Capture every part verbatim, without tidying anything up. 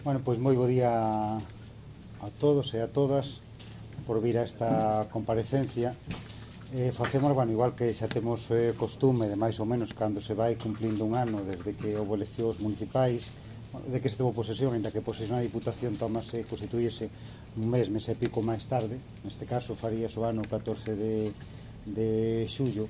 Bueno, pois moi bo día a todos e a todas por vir a esta comparecencia. Eh, facemos, bueno, igual que xa temos eh, costume de máis ou menos cando se vai cumplindo un ano desde que houve eleccións municipais, de que se tomou posesión, ainda que posesión a Diputación tomase, constituíse un mes, mes e pico máis tarde, neste caso faríase o ano catorce de, de xullo.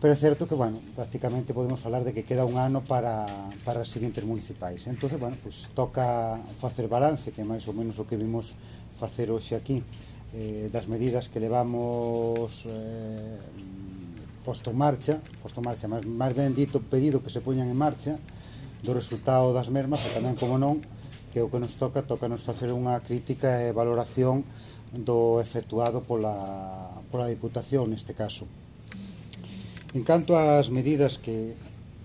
Pero é certo que, bueno, prácticamente podemos falar de que queda un ano para, para as seguintes municipais. Entón, bueno, pues toca facer balance, que é máis ou menos o que vimos facer hoxe aquí, eh, das medidas que levamos eh, posto en marcha, posto en marcha, máis, máis ben dito, pedido que se poñan en marcha, do resultado das mesmas, e tamén, como non, que o que nos toca, toca nos facer unha crítica e valoración do efectuado pola, pola Diputación, neste caso. En canto ás medidas que,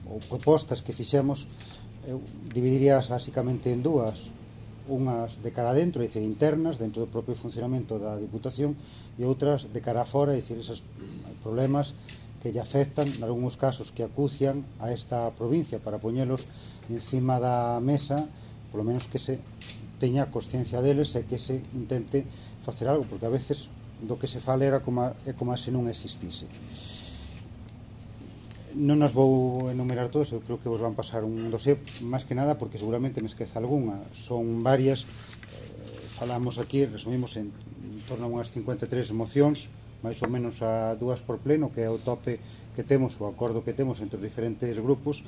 ou propostas que fixemos, eu dividirías basicamente en dúas, unhas de cara adentro, é dicir, internas, dentro do propio funcionamento da Diputación, e outras de cara afora, é dicir, esos problemas que lle afectan, en algúns casos que acucian a esta provincia, para poñelos encima da mesa, polo menos que se teña consciencia deles e que se intente facer algo, porque a veces do que se fala era como a, é como a se non existise. Non nos vou enumerar todos, eu creo que vos van pasar un dossier, máis que nada porque seguramente me esqueza algunha. Son varias, eh, falamos aquí, resumimos en, en torno a unhas cincuenta e tres mocións, máis ou menos a dúas por pleno, que é o tope que temos, o acordo que temos entre os diferentes grupos,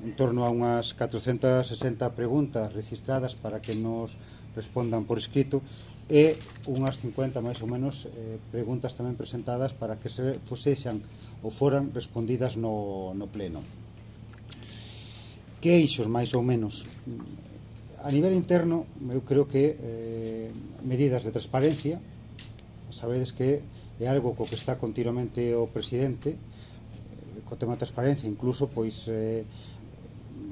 en torno a unhas catrocentas sesenta preguntas registradas para que nos respondan por escrito, e unhas cincuenta máis ou menos eh, preguntas tamén presentadas para que se fosexan ou foran respondidas no, no pleno. Que eixos máis ou menos? A nivel interno, eu creo que eh, medidas de transparencia, sabedes que é algo co que está continuamente o presidente, eh, co tema de transparencia, incluso pois eh,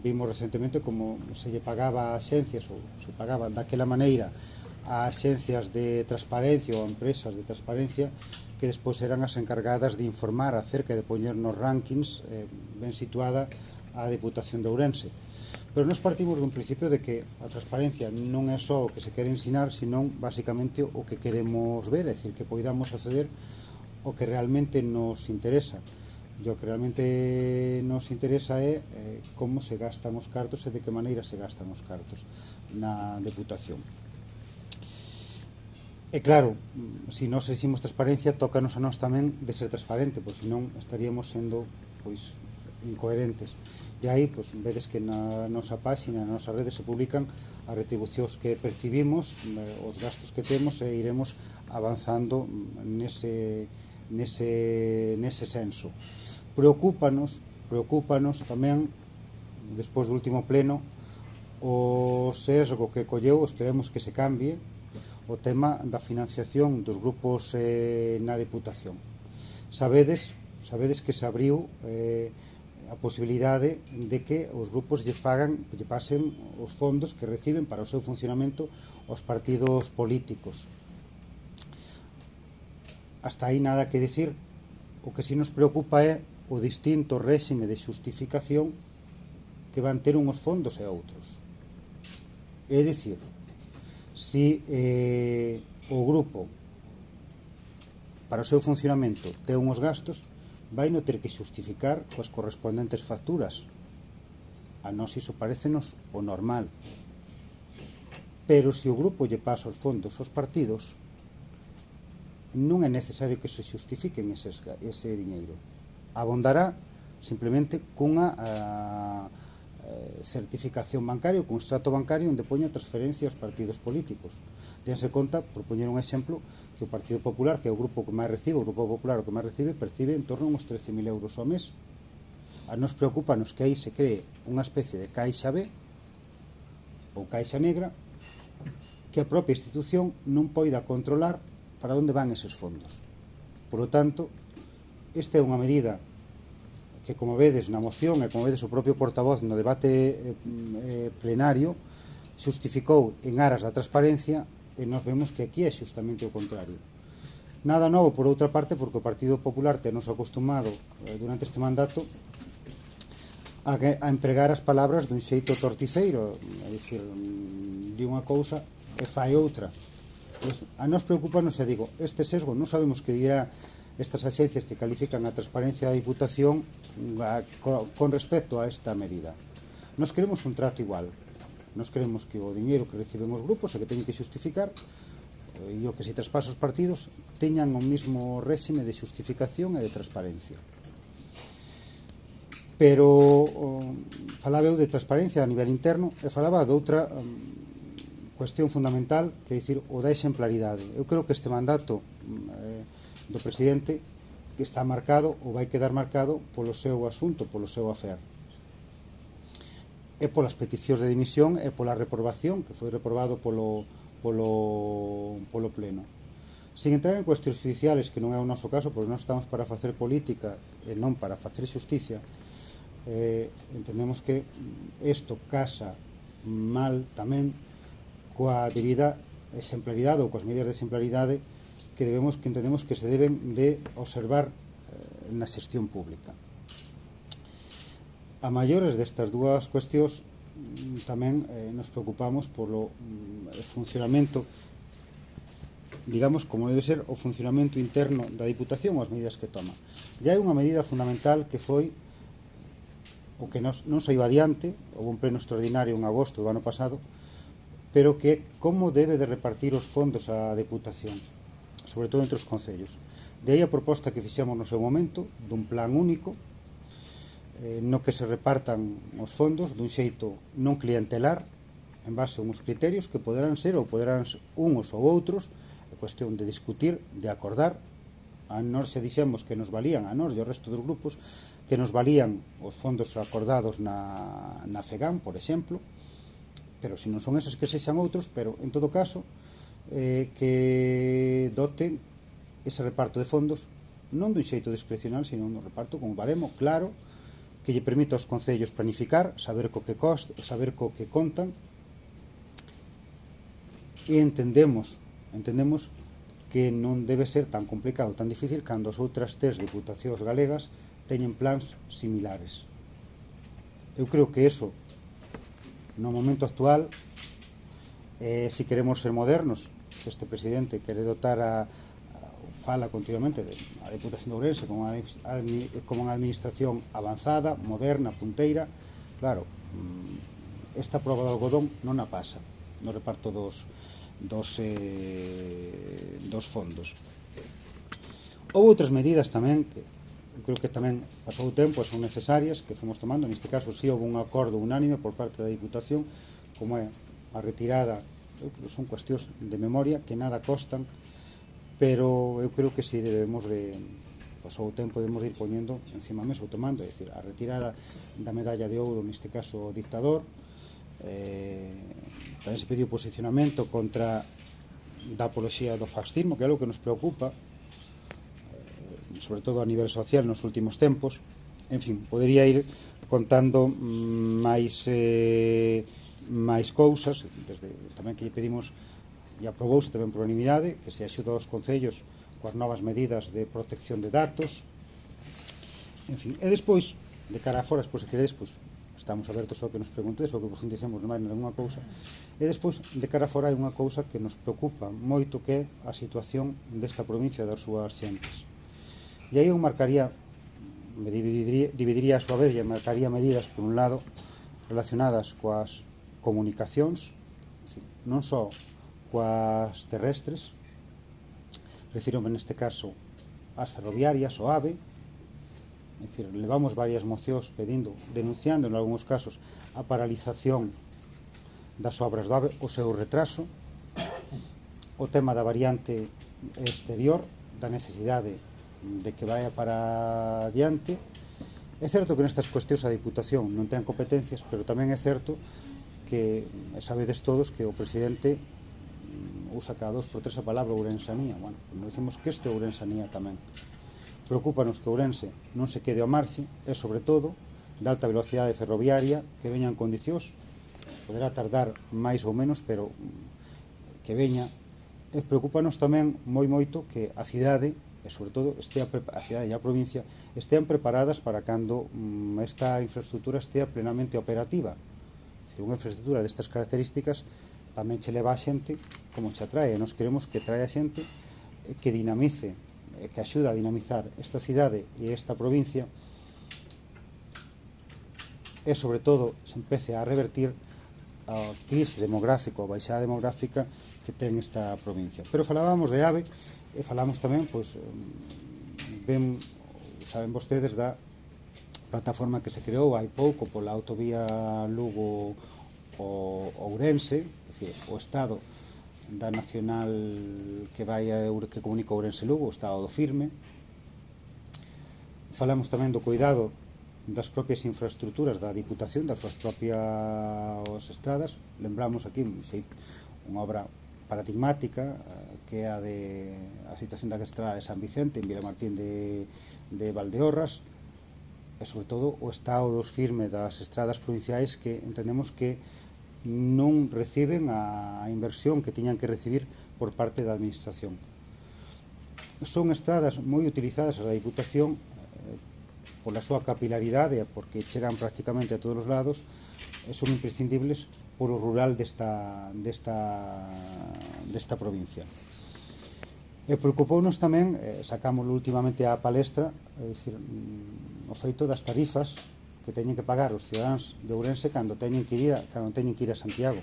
vimos recentemente como se lle pagaba a axencias, ou se pagaba daquela maneira a axencias de transparencia ou a empresas de transparencia que despois eran as encargadas de informar acerca de poñer nos rankings eh, ben situada a Diputación de Ourense. Pero nos partimos dun principio de que a transparencia non é só o que se quere ensinar, senón basicamente o que queremos ver, é dicir, que poidamos acceder o que realmente nos interesa. E o que realmente nos interesa é eh, como se gastan os cartos e de que maneira se gastan os cartos na Deputación. E claro, se nós eximos transparencia, tócanos a nós tamén de ser transparente, pois senón estaríamos sendo pois incoherentes. E aí, pois, vedes que na nosa página, na nosa rede se publican as retribucións que percibimos, os gastos que temos, e iremos avanzando nese, nese, nese senso. Preocúpanos, preocúpanos tamén, despois do último pleno, o sesgo que colleu, esperemos que se cambie, o tema da financiación dos grupos eh, na Deputación. Sabedes, sabedes que se abriu eh, a posibilidade de que os grupos lle fagan, lle pasen os fondos que reciben para o seu funcionamento aos partidos políticos. Hasta aí nada que dicir. O que si nos preocupa é o distinto réxime de xustificación que van ter uns fondos e outros. É dicir, si eh, o grupo para o seu funcionamento ten uns gastos, vai non ter que xustificar coas correspondentes facturas. A nós iso parecenos o normal. Pero se o grupo lle pasa os fondos aos partidos, non é necesario que se xustifiquen eses, ese diñeiro. Abondará simplemente cunha a, certificación bancaria, con extracto bancario onde poña transferencia aos partidos políticos. Tense conta, por poñer un exemplo, que o Partido Popular, que é o grupo que máis recibe, o Grupo Popular o que máis recibe, percibe en torno a uns trece mil euros ao mes. A nos preocupanos que aí se cree unha especie de caixa B ou caixa negra que a propia institución non poida controlar para onde van eses fondos. Por lo tanto, esta é unha medida que, como vedes na moción e como vedes o propio portavoz no debate eh, plenario, xustificou en aras da transparencia, e nós vemos que aquí é xustamente o contrario. Nada novo, por outra parte, porque o Partido Popular tenos acostumado eh, durante este mandato a, a empregar as palabras dun xeito torticeiro, é dicir, di unha cousa e fai outra. Pues, a nos preocupa, non se digo, este sesgo, non sabemos que dirá estas axencias que califican a transparencia da Diputación a, con respecto a esta medida. Nos queremos un trato igual, nos queremos que o diñeiro que reciben os grupos e que teñen que xustificar e o que se traspasa os partidos teñan o mismo réxime de xustificación e de transparencia. Pero o, falaba eu de transparencia a nivel interno e falaba de outra um, cuestión fundamental, que é dicir, o da exemplaridade. Eu creo que este mandato eh, do presidente que está marcado ou vai quedar marcado polo seu asunto, polo seu afer. E polas peticións de dimisión e pola reprobación, que foi reprobado polo, polo, polo pleno. Sin entrar en cuestións judiciales, que non é o noso caso, porque non estamos para facer política e non para facer xusticia, eh, entendemos que isto casa mal tamén coa debida exemplaridade ou coas medidas de exemplaridade que debemos que entendemos que se deben de observar eh, na xestión pública. A maiores destas dúas cuestións tamén eh, nos preocupamos polo mm, funcionamento, digamos, como debe ser o funcionamento interno da Diputación ou as medidas que toma. E hai unha medida fundamental que foi o que nos, non saiu adiante, houve un pleno extraordinario en agosto do ano pasado, pero que como debe de repartir os fondos a Deputación, sobre todo entre os concellos. De aí a proposta que fixemos no seu momento dun plan único eh, no que se repartan os fondos dun xeito non clientelar en base a uns criterios que poderán ser ou poderán ser uns ou outros, é cuestión de discutir, de acordar. A nós se dixemos que nos valían, a nós e ao resto dos grupos, que nos valían os fondos acordados na, na FEGAM, por exemplo, pero se non son esos que sexan outros, pero en todo caso eh, que doten ese reparto de fondos non dun xeito discrecional, sino dun reparto con un baremo claro que lle permita aos concellos planificar, saber co que cost, saber co que contan, e entendemos entendemos que non debe ser tan complicado, tan difícil cando as outras tres diputacións galegas teñen plans similares. Eu creo que eso no momento actual, eh, si queremos ser modernos, que este presidente quere dotar a, a fala continuamente de, a Deputación de Ourense como, a, a, como unha administración avanzada, moderna, punteira, claro, esta proba de algodón non a pasa no reparto dos, dos, eh, dos fondos. Houve outras medidas tamén que creo que tamén pasou o tempo e son necesarias que fomos tomando. Neste caso si houve un acordo unánime por parte da Diputación, como é a retirada, eu creo que son cuestións de memoria que nada costan, pero eu creo que si debemos de, pasou o tempo, debemos de ir poñendo encima da mesa ou tomando, é dicir, a retirada da medalla de ouro, neste caso o dictador. eh, tamén se pediu posicionamento contra da apoloxía do fascismo, que é algo que nos preocupa, sobre todo a nivel social nos últimos tempos. En fin, podería ir contando máis eh, máis cousas, desde tamén que lle pedimos e aprobouse tamén por unanimidade que se axuda aos concellos coas novas medidas de protección de datos. En fin, e despois de cara a fora, despois se queredes, pois, estamos abertos ao que nos preguntes ou que profundicemos máis nalgúna cousa. E despois de cara a fora hai unha cousa que nos preocupa moito, que é a situación desta provincia das súas xentes. E aí eu marcaría, me dividiría, dividiría a súa vez e marcaría medidas, por un lado, relacionadas coas comunicacións, non só coas terrestres, refírome neste caso ás ferroviarias, o AVE, é dicir, levamos varias mocións pedindo, denunciando en algúns casos a paralización das obras do AVE, o seu retraso, o tema da variante exterior, da necesidade de que vaya para adiante. É certo que nestas cuestións a Diputación non ten competencias, pero tamén é certo que sabedes todos que o presidente usa cada dos por tres a palabra ourensanía. Bueno, non dicimos que isto é ourensanía tamén. Preocúpanos que Ourense non se quede ao marxe e, sobre todo, de alta velocidade ferroviaria que veña en condicións, poderá tardar máis ou menos, pero que veña. E preocúpanos tamén moi moito que a cidade e sobre todo estea, a cidade e a provincia estean preparadas para cando mm, esta infraestructura estea plenamente operativa. Se unha infraestructura destas características tamén che leva a xente como che atrae, e nos queremos que trae a xente que dinamice, que axuda a dinamizar esta cidade e esta provincia, e sobre todo se empece a revertir a crise demográfica, a baixada demográfica que ten esta provincia. Pero falábamos de AVE e falamos tamén, pois, ben, saben vostedes da plataforma que se creou hai pouco pola autovía Lugo o Ourense, é dicir, o Estado da Nacional que vai a, que comunica Ourense-Lugo, o Estado do Firme. Falamos tamén do cuidado das propias infraestructuras da Diputación, das súas propias estradas. Lembramos aquí unha obra paradigmática que é a de a situación da estrada de San Vicente en Vilamartín de, de Valdeorras, e sobre todo o estado dos firmes das estradas provinciais, que entendemos que non reciben a inversión que tiñan que recibir por parte da administración. Son estradas moi utilizadas a da Diputación pola súa capilaridade, porque chegan prácticamente a todos os lados, e son imprescindibles polo rural desta, desta, desta provincia. E preocupounos tamén, eh, sacámoslo últimamente á palestra, é dicir, o feito das tarifas que teñen que pagar os cidadáns de Ourense cando teñen que ir a, cando teñen que ir a Santiago.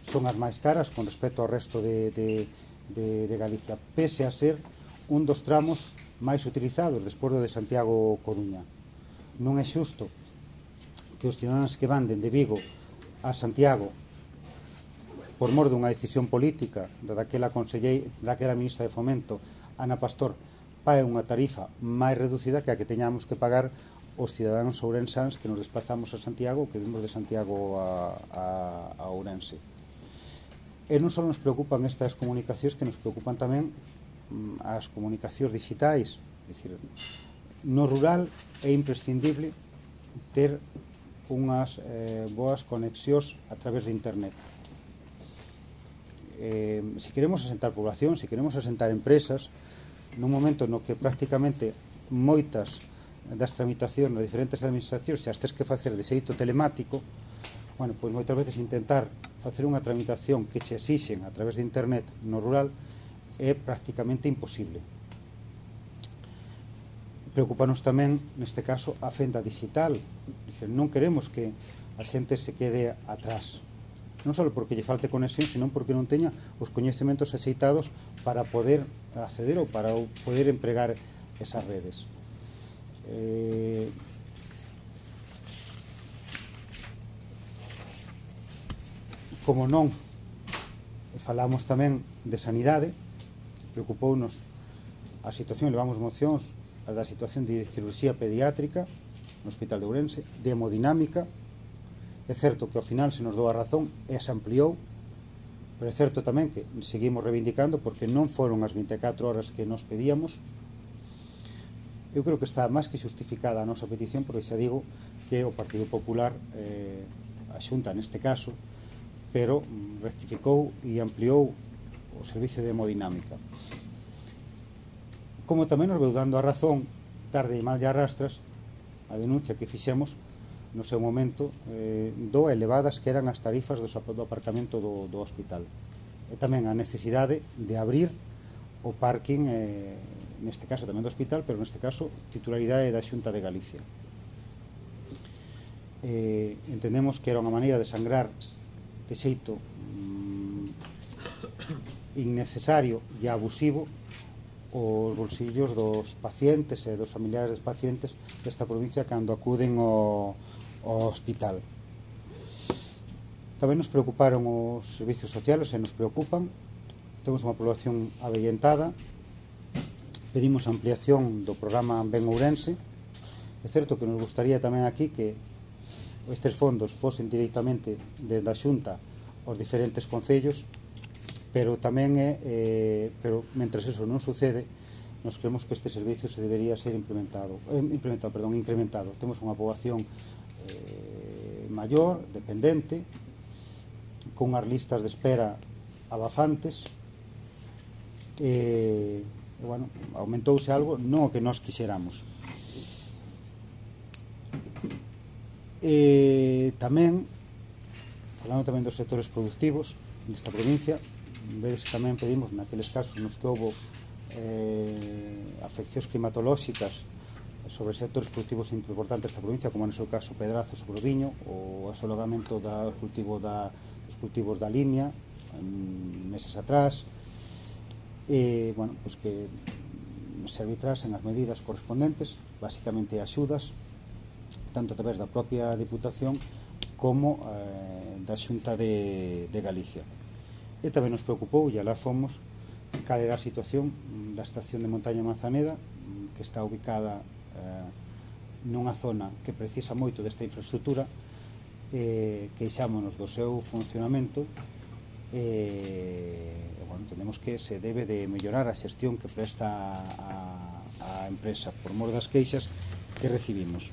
Son as máis caras con respecto ao resto de, de, de, de Galicia, pese a ser un dos tramos máis utilizados despois do de Santiago-Coruña. Non é xusto que os cidadáns que van dende Vigo a Santiago por mor dunha decisión política da daquela, daquela ministra de Fomento, Ana Pastor, pague unha tarifa máis reducida que a que teñamos que pagar os cidadáns ourensáns que nos desplazamos a Santiago, que vimos de Santiago a, a, a Ourense. E non só nos preocupan estas comunicacións, que nos preocupan tamén as comunicacións digitais. É dicir, no rural é imprescindible ter unhas eh, boas conexións a través de internet. Eh, se queremos asentar población, se queremos asentar empresas, nun momento no que prácticamente moitas das tramitacións nas diferentes administracións xa as tes que facer de xeito telemático, bueno, pois moitas veces intentar facer unha tramitación que che exixen a través de internet no rural é prácticamente imposible. Preocupanos tamén, neste caso, a fenda digital. Dicir, non queremos que a xente se quede atrás, non só porque lle falte conexión, senón porque non teña os coñecementos axeitados para poder acceder ou para poder empregar esas redes. Eh, como non, falamos tamén de sanidade, preocupounos a situación, levamos mocións a da situación de cirurxía pediátrica no Hospital de Ourense, de hemodinámica. É certo que ao final se nos dou a razón e se ampliou, pero é certo tamén que seguimos reivindicando porque non foron as vinte e catro horas que nos pedíamos. Eu creo que está máis que justificada a nosa petición, porque xa digo que o Partido Popular, eh, a Xunta neste caso, pero rectificou e ampliou o servicio de hemodinámica. Como tamén nos veu dando a razón, tarde e mal de arrastras, a denuncia que fixemos no seu momento eh, do elevadas que eran as tarifas do, do aparcamento do, do hospital. E tamén a necesidade de abrir o parking, eh, neste caso tamén do hospital, pero neste caso titularidade da Xunta de Galicia. Eh, entendemos que era unha maneira de sangrar de xeito mm, innecesario e abusivo os bolsillos dos pacientes e dos familiares dos pacientes desta provincia cando acuden ao, ao hospital. Tamén nos preocuparon os servicios sociales e nos preocupan. Temos unha población avellentada, pedimos ampliación do programa Ben Ourense. É certo que nos gustaría tamén aquí que estes fondos fosen directamente desde a Xunta aos diferentes concellos, pero tamén é, eh, pero mentres eso non sucede, nos creemos que este servicio se debería ser implementado, eh, implementado, perdón, incrementado. Temos unha poboación eh, maior, dependente, con as listas de espera abafantes, e, e e, bueno, aumentouse algo, non o que nós quixéramos. E tamén, falando tamén dos sectores productivos nesta provincia, vedes que tamén pedimos naqueles casos nos que houve eh, afeccións climatolóxicas sobre sectores productivos importantes da provincia, como no seu caso Pedrazo sobre o viño, o asolagamento do cultivo da, dos cultivos da limia en meses atrás, e, bueno, pues que se arbitrasen as medidas correspondentes, basicamente axudas, tanto a través da propia Diputación como eh, da Xunta de, de Galicia. E tamén nos preocupou, e alá fomos, cal era a situación da estación de Montaña Manzaneda, que está ubicada eh, nunha zona que precisa moito desta infraestructura, eh, queixámonos do seu funcionamento, e eh, bueno, entendemos que se debe de mellorar a xestión que presta a, a empresa por mor das queixas que recibimos.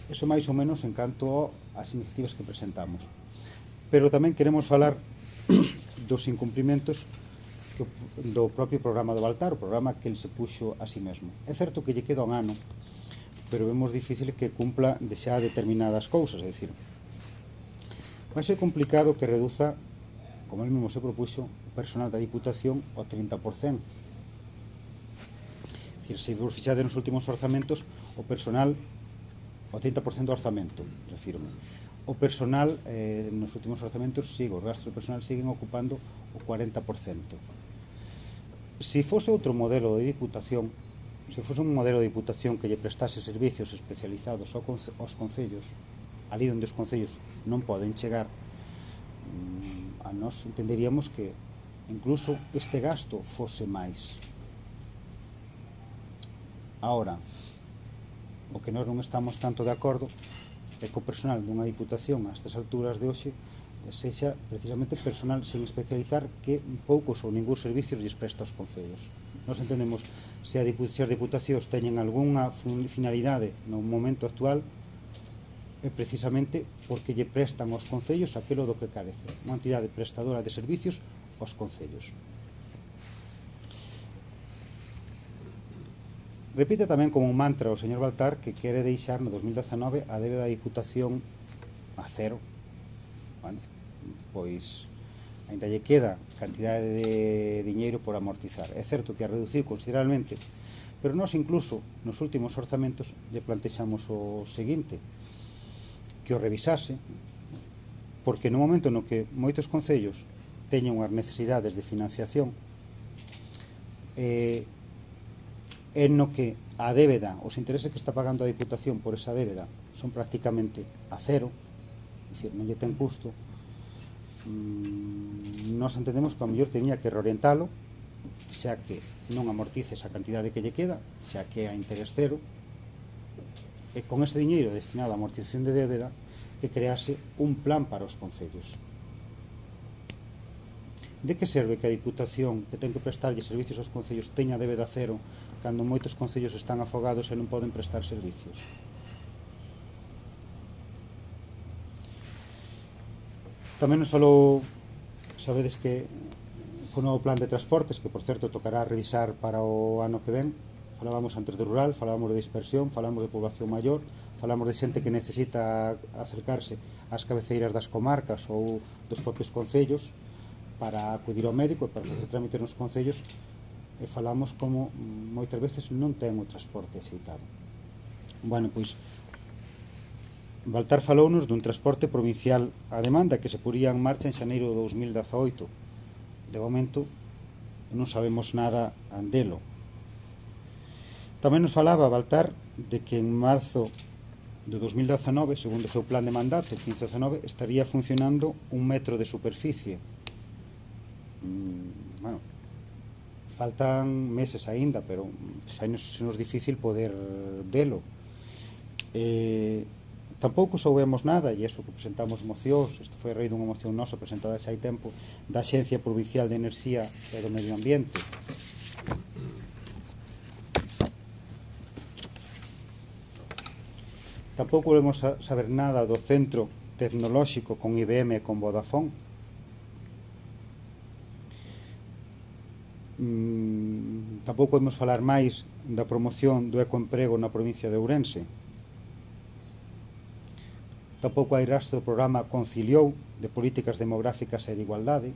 Eso máis ou menos en canto ás iniciativas que presentamos. Pero tamén queremos falar dos incumprimentos que, do propio programa do Baltar, o programa que ele se puxo a si mesmo. É certo que lle queda un ano, pero vemos difícil que cumpla de xa determinadas cousas, é dicir, vai ser complicado que reduza, como ele mesmo se propuxo, o personal da Diputación ao trinta por cento. É dicir, se vos fixade nos últimos orzamentos, o personal o trinta por cento do orzamento, refirme. O personal, eh, nos últimos orzamentos, sigo, os gastos do personal siguen ocupando o cuarenta por cento. Se fose outro modelo de Diputación, se fose un modelo de Diputación que lle prestase servicios especializados aos concellos, ali onde os concellos non poden chegar, a nós entenderíamos que incluso este gasto fose máis. Ahora, o que nós non estamos tanto de acordo é que o personal dunha Diputación a estas alturas de hoxe sexa precisamente personal sen especializar que poucos ou ningún servicios lles presta aos concellos. Nós entendemos se as Diputacións teñen algunha finalidade no momento actual é precisamente porque lle prestan aos concellos aquilo do que carece, unha entidade prestadora de servicios aos concellos. Repite tamén como un mantra o señor Baltar que quere deixar no dos mil dezanove a débeda da Diputación a cero. Bueno, pois ainda lle queda cantidade de diñeiro por amortizar. É certo que a reduciu considerablemente, pero nós incluso nos últimos orzamentos lle plantexamos o seguinte, que o revisase, porque no momento no que moitos concellos teñen unhas necesidades de financiación, eh, en no que a débeda, os intereses que está pagando a Diputación por esa débeda son prácticamente a cero, é dicir, non lle ten custo, mm, nos entendemos que a mellor tenía que reorientalo, xa que non amortice esa cantidade que lle queda, xa que é a interés cero, e con ese diñeiro destinado a amortización de débeda que crease un plan para os concellos. De que serve que a Diputación que ten que prestarlle servicios aos concellos teña débeda cero cando moitos concellos están afogados e non poden prestar servicios? Tamén nos falou, sabedes que o novo plan de transportes, que por certo tocará revisar para o ano que ven, falábamos antes de rural, falábamos de dispersión, falábamos de población maior, falábamos de xente que necesita acercarse ás cabeceiras das comarcas ou dos propios concellos para acudir ao médico e para facer trámites nos concellos, e falamos como moitas veces non ten o transporte axeitado. Bueno, pois Baltar falounos dun transporte provincial a demanda que se poría en marcha en xaneiro de dos mil dezaoito. De momento non sabemos nada andelo. Tamén nos falaba Baltar de que en marzo de dos mil dezanove, segundo o seu plan de mandato, quince dezanove, estaría funcionando un metro de superficie. Mm, bueno, faltan meses aínda, pero xa nos, nos difícil poder velo. Eh, tampouco soubemos nada, e iso que presentamos mocións, isto foi a raíz dunha moción nosa presentada xa hai tempo, da Axencia Provincial de Enerxía e do Medio Ambiente. Tampouco volvemos a saber nada do centro tecnolóxico con I B M e con Vodafone. mm, tampouco podemos falar máis da promoción do ecoemprego na provincia de Ourense. Tampouco hai rastro do programa Conciliou de políticas demográficas e de igualdade.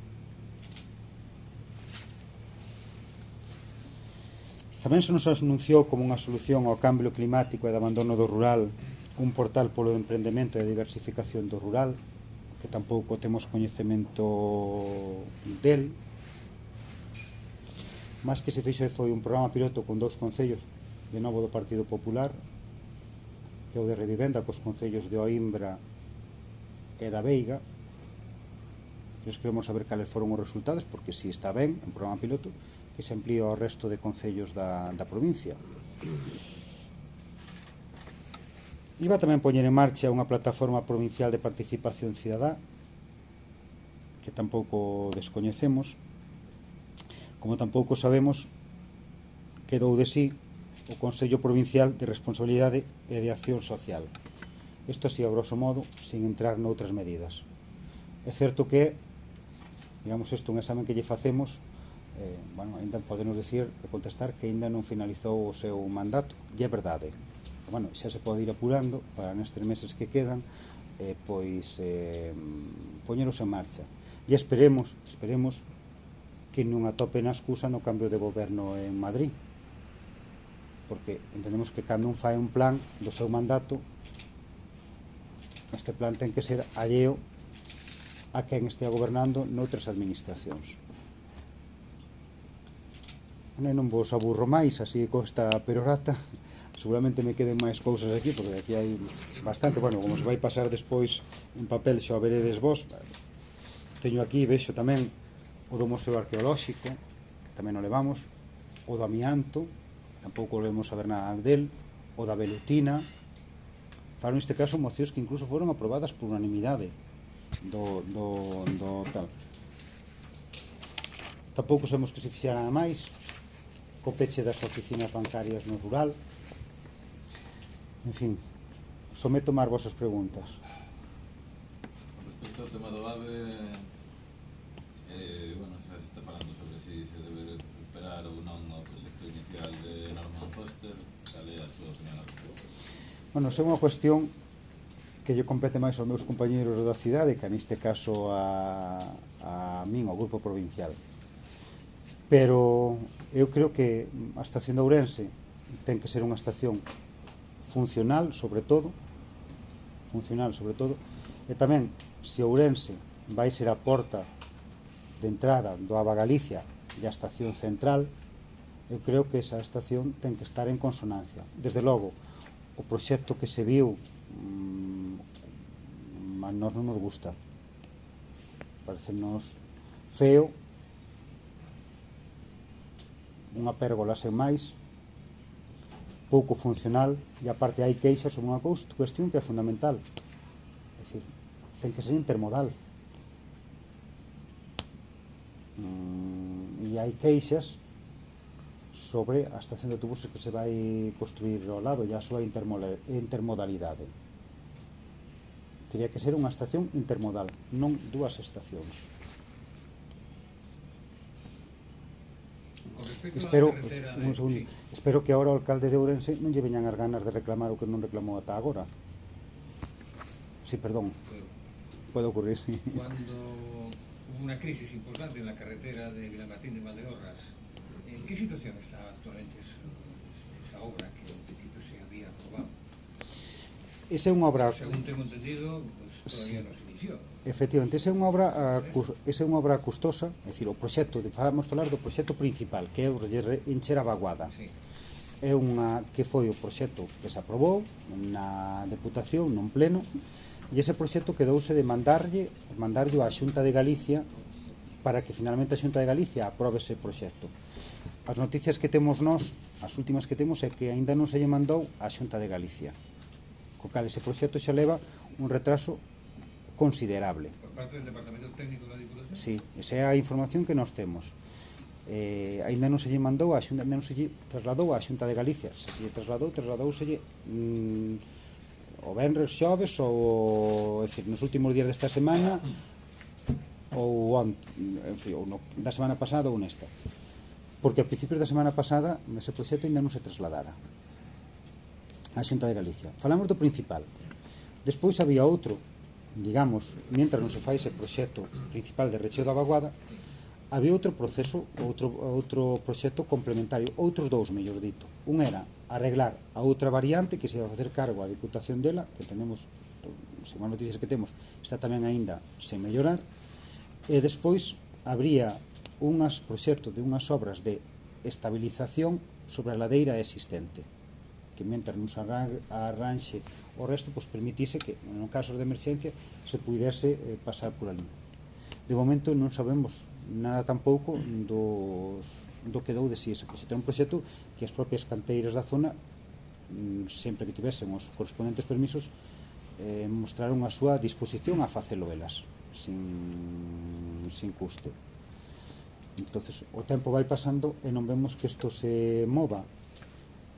Tamén se nos anunciou como unha solución ao cambio climático e de abandono do rural un portal polo emprendemento e a diversificación do rural, que tampouco temos coñecemento del. Mas que se fixo foi un programa piloto con dous concellos de novo do Partido Popular, que é o de Revivenda, cos concellos de Oimbra e da Veiga. Nós queremos saber cales foron os resultados, porque si está ben, un programa piloto, que se amplía ao resto de concellos da, da provincia. Iba tamén poñer en marcha unha plataforma provincial de participación cidadá, que tampouco descoñecemos, como tampouco sabemos que dou de sí o Consello Provincial de Responsabilidade e de Acción Social. Isto así, a grosso modo, sin entrar noutras medidas. É certo que, digamos, isto un examen que lle facemos, eh, bueno, ainda podemos decir e contestar que ainda non finalizou o seu mandato, e é verdade. Bueno, xa se pode ir apurando para nestes meses que quedan, eh, pois eh, poñeros en marcha. E esperemos, esperemos que non atopen a excusa no cambio de goberno en Madrid, porque entendemos que cando un fai un plan do seu mandato, este plan ten que ser alleo a quen estea gobernando noutras administracións. Non vos aburro máis, así con esta perorata. Seguramente me queden máis cousas aquí, porque aquí hai bastante. Bueno, como se vai pasar despois en papel, xa o veredes vos. Teño aquí, vexo tamén o do Museo Arqueolóxico, que tamén o levamos, o do amianto, tampouco volvemos a ver nada del, o da velutina. Falo neste caso mocións que incluso foron aprobadas por unanimidade do, do, do tal. Tampouco sabemos que se fixera nada máis co peche das oficinas bancarias no rural. En fin, someto máis vosas preguntas. Respecto ao tema do AVE, eh, bueno, xa se está falando sobre si se debe recuperar ou non o proxecto inicial de Norman Foster. Cal é a súa opinión ao respecto? Bueno, é unha cuestión que lle compete máis aos meus compañeros da cidade, que neste caso a, a min, ao grupo provincial. Pero eu creo que a estación de Ourense ten que ser unha estación funcional, sobre todo, funcional, sobre todo, e tamén, se Ourense vai ser a porta de entrada do Ava Galicia e a estación central, eu creo que esa estación ten que estar en consonancia. Desde logo, o proxecto que se viu mmm, a nós non nos gusta, parecenos feo, unha pérgola sen máis, pouco funcional, e aparte hai queixas sobre unha cuestión que é fundamental, é dicir, ten que ser intermodal, mm, e hai queixas sobre a estación de autobuses que se vai construir ao lado e a súa intermodalidade. Teria que ser unha estación intermodal, non dúas estacións. Espero, un segundo, sí. Espero que agora o alcalde de Ourense non lle veñan as ganas de reclamar o que non reclamou ata agora. Sí, perdón. Puede ocurrir, sí. Cuando hubo una crisis importante en la carretera de Vilamartín de Valdeorras, ¿en qué situación está actualmente esa obra que en principio se había aprobado? Esa é unha obra... Según tengo entendido, pues todavía sí. No se inició. Efectivamente, esa é unha obra esa é unha obra custosa, é dicir, o proxecto, vamos falar do proxecto principal, que é o de encher a vaguada. Sí. É unha que foi o proxecto que se aprobou na Deputación, non pleno, e ese proxecto quedouse de mandarlle, mandarlle á Xunta de Galicia para que finalmente a Xunta de Galicia aprobe ese proxecto. As noticias que temos nós, as últimas que temos, é que aínda non se lle mandou á Xunta de Galicia. Co cal ese proxecto xa leva un retraso considerable. Por parte del Departamento Técnico da Diputación? Sí, esa é a información que nós temos. Eh, aínda non se lle mandou a Xunta, non se lle trasladou á Xunta de Galicia. Se se lle trasladou, trasladouselle mm, o venres, xoves ou, é dicir, nos últimos días desta semana ou, on, en fin, ou no, da semana pasada ou nesta. porque a principios da semana pasada ese proxecto ainda non se trasladara á Xunta de Galicia. Falamos do principal. Despois había outro, digamos, mientras non se fai ese proxecto principal de recheo da vaguada, había outro proceso, outro, outro proxecto complementario, outros dous, mellor dito. Un era arreglar a outra variante que se iba a facer cargo a Diputación dela, que tenemos, según as noticias que temos, está tamén aínda sen mellorar, e despois habría unhas proxectos de unhas obras de estabilización sobre a ladeira existente, que mentre non se arranxe o resto, pois permitise que, en casos de emerxencia, se pudese eh, pasar por ali. De momento non sabemos nada tampouco dos, do que dou de si ese proxecto. É un proxecto que as propias canteiras da zona, sempre que tivesen os correspondentes permisos, eh, mostraron a súa disposición a facelo elas, sin, sin custe. Entonces, o tempo vai pasando e non vemos que isto se mova.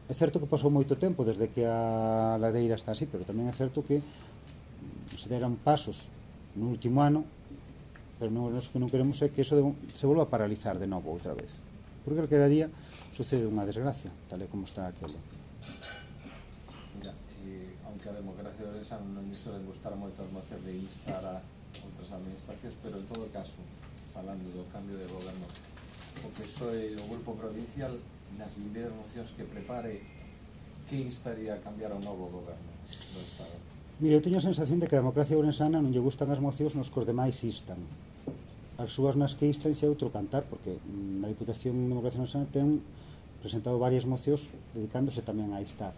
É certo que pasou moito tempo desde que a ladeira está así, pero tamén é certo que se deran pasos no último ano, pero non, que non queremos é que eso se volva a paralizar de novo outra vez, porque calquera día sucede unha desgracia, tal e como está aquelo. Mira, e, aunque a democracia de Orense non lle suelen gustar moito as mocións de instar a outras administracións, pero en todo caso, falando do cambio de goberno, o P S O E e o Grupo Provincial nas vindeiras mocións que prepare, que instaría a cambiar ao novo goberno do Estado? Mira, eu teño a sensación de que a democracia ourensana non lle gustan as mocións nos que os demais instan. As súas nas que instan xe outro cantar, porque na Diputación de Democracia Ourensana ten presentado varias mocións dedicándose tamén a instar.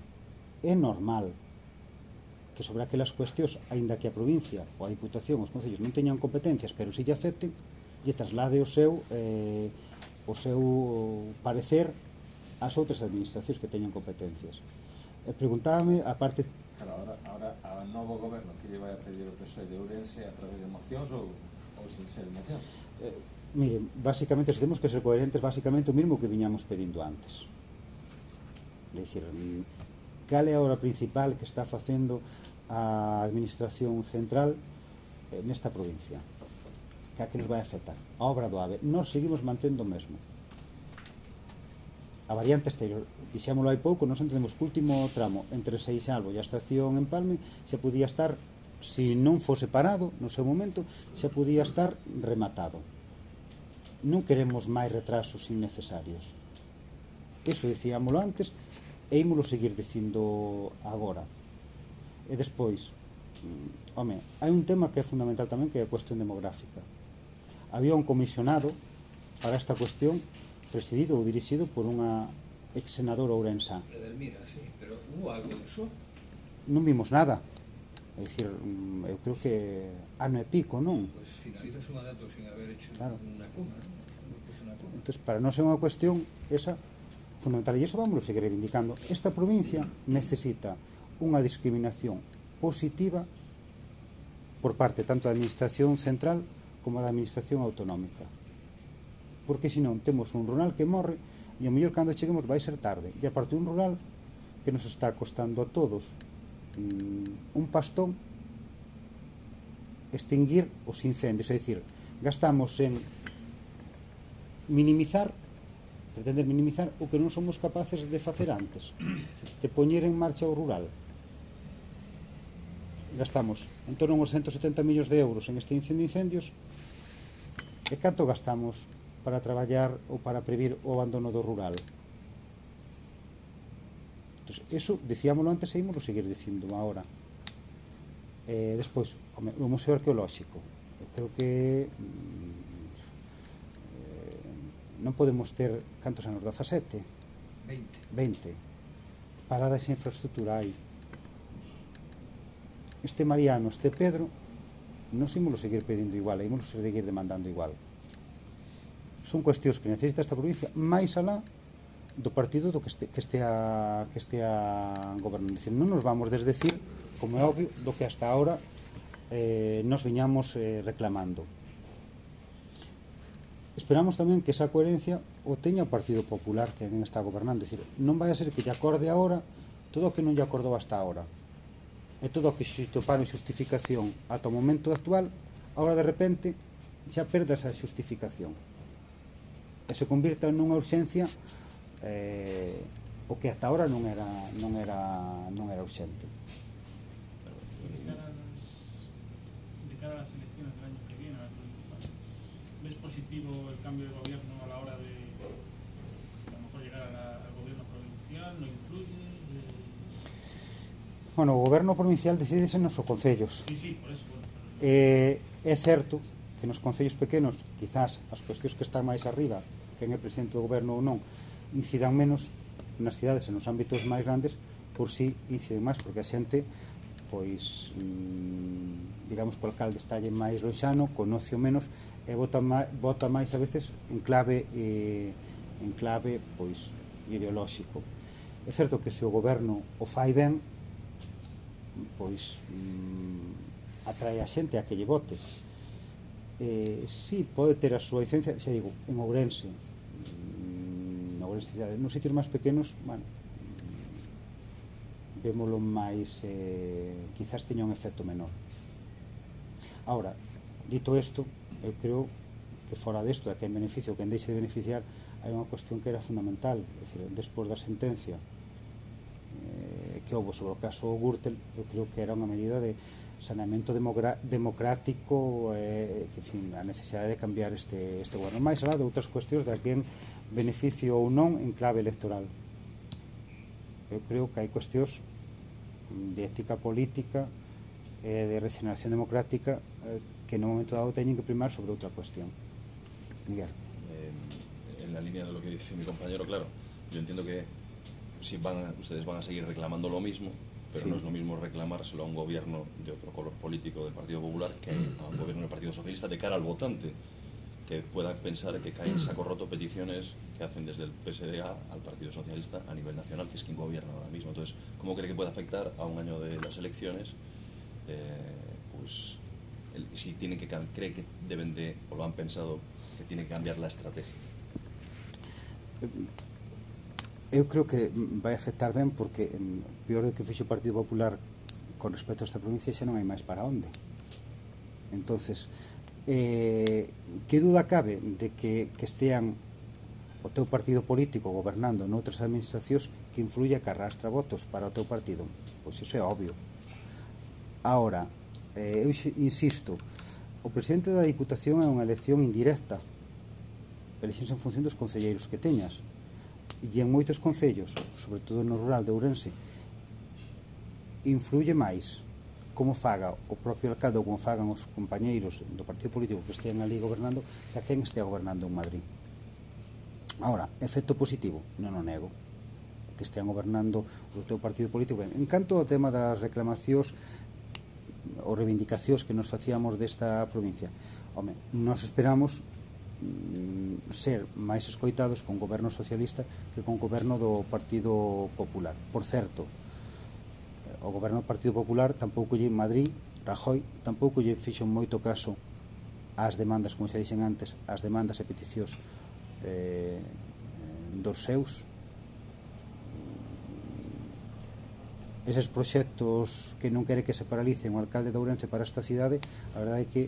É normal que sobre aquelas cuestións, aínda que a provincia ou a Diputación, os concellos non teñan competencias, pero si lle afecten, lle traslade o seu eh, o seu parecer ás outras administracións que teñan competencias. E preguntábame, a parte... Claro, ahora, ahora a novo goberno que lle vai a pedir o P S O E de Ourense a través de mocións ou, ou sin ser mocións? Eh, mire, basicamente, se temos que ser coherentes, basicamente o mismo que viñamos pedindo antes. É dicir, cal é a obra principal que está facendo a administración central eh, nesta provincia? Que a que nos vai afectar? A obra do AVE. Nós seguimos mantendo o mesmo. A variante exterior, dixémolo hai pouco, nós entendemos que o último tramo entre Seixalbo e a estación en Palme se podía estar, se non fose parado no seu momento, se podía estar rematado. Non queremos máis retrasos innecesarios. Iso dicíamolo antes e ímolo seguir dicindo agora. E despois, home, hai un tema que é fundamental tamén, que é a cuestión demográfica. Había un comisionado para esta cuestión presidido ou dirixido por unha ex senadora ourensá. Edelmira, sí, pero hubo algo disso? Non vimos nada. É dicir, eu creo que ano e pico, non? Pois pues finaliza su mandato sin haber hecho claro. Unha coma, non? Entón, para non ser unha cuestión esa fundamental, e iso vamos a seguir reivindicando. Esta provincia necesita unha discriminación positiva por parte tanto da administración central como da administración autonómica, porque senón temos un rural que morre e o mellor cando cheguemos vai ser tarde, e aparte un rural que nos está costando a todos mm, un pastón extinguir os incendios, é dicir, gastamos en minimizar, pretender minimizar o que non somos capaces de facer antes, de poñer en marcha o rural. Gastamos en torno a uns ciento setenta millóns de euros en extinción de incendios, e canto gastamos para traballar ou para previr o abandono do rural? Entón, eso, dicíamolo antes e ímolo seguir dicindo agora. Eh, despois, o Museo Arqueolóxico. Eu creo que eh, non podemos ter, cantos anos? dezasete? veinte. veinte. Parada esa infraestructura aí. Este Mariano, este Pedro, non ímolo seguir pedindo igual, ímolo seguir demandando igual. Son cuestións que necesita esta provincia máis alá do partido do que este, que estea, que estea gobernando. Dicir, non nos vamos desdecir, como é obvio, do que hasta ahora eh, nos viñamos eh, reclamando. Esperamos tamén que esa coherencia o teña o Partido Popular que en está gobernando. Dicir, non vai a ser que lle acorde agora todo o que non lle acordou hasta ahora. E todo o que se toparon xustificación ata o momento actual, agora de repente xa perda esa xustificación. e se convirta nunha urxencia eh, o que ata ahora non era non era non era urxente. De cara a las, de cara a las elecciones del año que viene, a las municipales, ¿ves positivo el cambio de gobierno a la hora de a lo mejor llegar a la, al gobierno provincial? ¿No influye? Eh... Bueno, o goberno provincial decídese nos os concellos. Sí, sí, por eso. Bueno, pero... eh, é certo que nos concellos pequenos quizás as cuestións que están máis arriba, quen é presidente do goberno ou non, incidan menos. Nas cidades e nos ámbitos máis grandes por si inciden máis, porque a xente pois mmm, digamos que o alcalde estalle máis loxano, conoce o menos e vota máis, vota máis a veces en clave eh, en clave pois ideolóxico. É certo que se o goberno o fai ben, pois mmm, atrae a xente a que lle vote. Eh, si pode ter a súa licencia, xa digo, en Ourense, nos sitios máis pequenos, bueno, vémolo máis eh, quizás teña un efecto menor. Ahora, dito isto, eu creo que fora desto, de que en beneficio ou que en deixe de beneficiar, hai unha cuestión que era fundamental, é dicir, despois da sentencia eh, que houve sobre o caso Gürtel, eu creo que era unha medida de saneamento democrático, eh, que, en fin, a necesidade de cambiar este, este goberno, máis alá de outras cuestións de alguén beneficio ou non en clave electoral. Eu creo que hai cuestións de ética política e de regeneración democrática eh, que no momento dado teñen que primar sobre outra cuestión. Miguel. Eh, en la línea de lo que dice mi compañero, claro, yo entiendo que si van, ustedes van a seguir reclamando lo mismo, pero sí, no es lo mismo reclamárselo a un gobierno de otro color político del Partido Popular que a un gobierno del Partido Socialista de cara al votante, que pueda pensar que caen en saco roto peticiones que hacen desde el P S D A al Partido Socialista a nivel nacional, que es quien gobierna ahora mismo. Entonces, ¿cómo cree que puede afectar a un año de las elecciones? Eh, pues, el, si tienen que, cree que deben de, o lo han pensado, que tiene que cambiar la estrategia. Eu creo que vai afectar ben porque peor do que fixo o Partido Popular con respecto a esta provincia xa non hai máis para onde. Entonces, eh, que duda cabe de que, que estean o teu partido político gobernando noutras administracións que influya que arrastra votos para o teu partido? Pois iso é obvio. Ahora, eh, eu insisto, o presidente da Diputación é unha elección indirecta, eleccións en función dos concelleiros que teñas, e en moitos concellos, sobre todo no rural de Ourense, influye máis como faga o propio alcalde ou como fagan os compañeiros do partido político que estean ali gobernando que a quen estea gobernando en Madrid. Ahora, efecto positivo, non o nego, que estean gobernando o teu partido político. En canto ao tema das reclamacións ou reivindicacións que nos facíamos desta provincia, home, nos esperamos mm, ser máis escoitados con goberno socialista que con goberno do Partido Popular. Por certo, o goberno do Partido Popular tampouco lle en Madrid, Rajoy tampouco lle fixo moito caso ás demandas, como xa dixen antes, ás demandas e peticións eh, dos seus. Eses proxectos que non quere que se paralicen o alcalde de Ourense para esta cidade, a verdade é que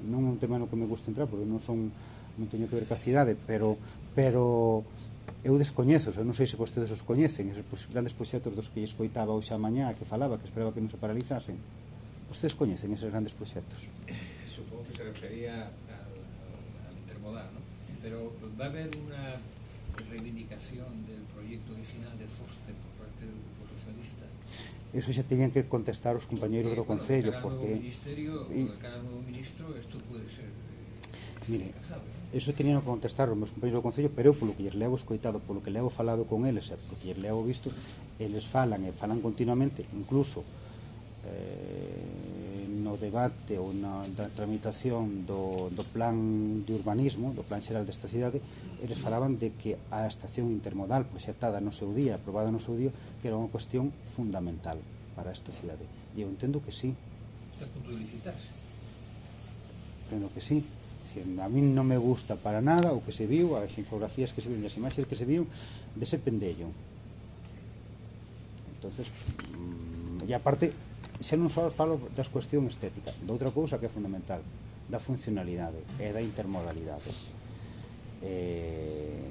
non é un tema no que me gusta entrar porque non son non teño que ver ca cidade, pero pero eu descoñezo, eu non sei se vostedes os coñecen, esos grandes proxectos dos que escoitaba hoxe a mañá, que falaba, que esperaba que non se paralizasen. Vostedes coñecen esos grandes proxectos? Supongo que se refería al, al intermodal, ¿no? Pero va a haber una reivindicación del proyecto original de Foster por parte del Grupo Socialista. Eso xa tenían que contestar os compañeiros do Concello, porque... De cara ao novo ministro, isto pode ser... Mire, eso tenían que contestar os meus compañeros do Concello, pero eu, polo que lles levo escoitado, polo que levo falado con eles, e polo que lles levo visto, eles falan e falan continuamente, incluso eh, no debate ou na da tramitación do, do plan de urbanismo, do plan xeral desta cidade, eles falaban de que a estación intermodal proxectada no seu día, aprobada no seu día, que era unha cuestión fundamental para esta cidade. E eu entendo que sí. Está a punto de licitarse. Entendo que sí. A mí non me gusta para nada o que se viu, as infografías que se viu, as imaxes que se viu dese pendello. Entonces, e aparte, xa non só falo das cuestión estética, de outra cousa que é fundamental, da funcionalidade e da intermodalidade. eh,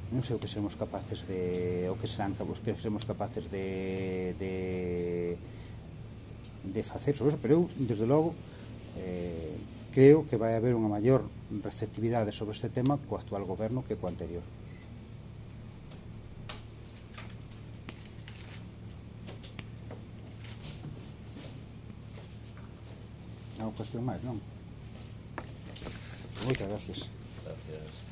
non sei o que seremos capaces de o que serán os que seremos capaces de de, de facer sobre eso, pero eu, desde logo, eh, creo que vai haber unha maior receptividade sobre este tema co actual goberno que co anterior. Non cuestión máis, non? Moitas gracias. Gracias.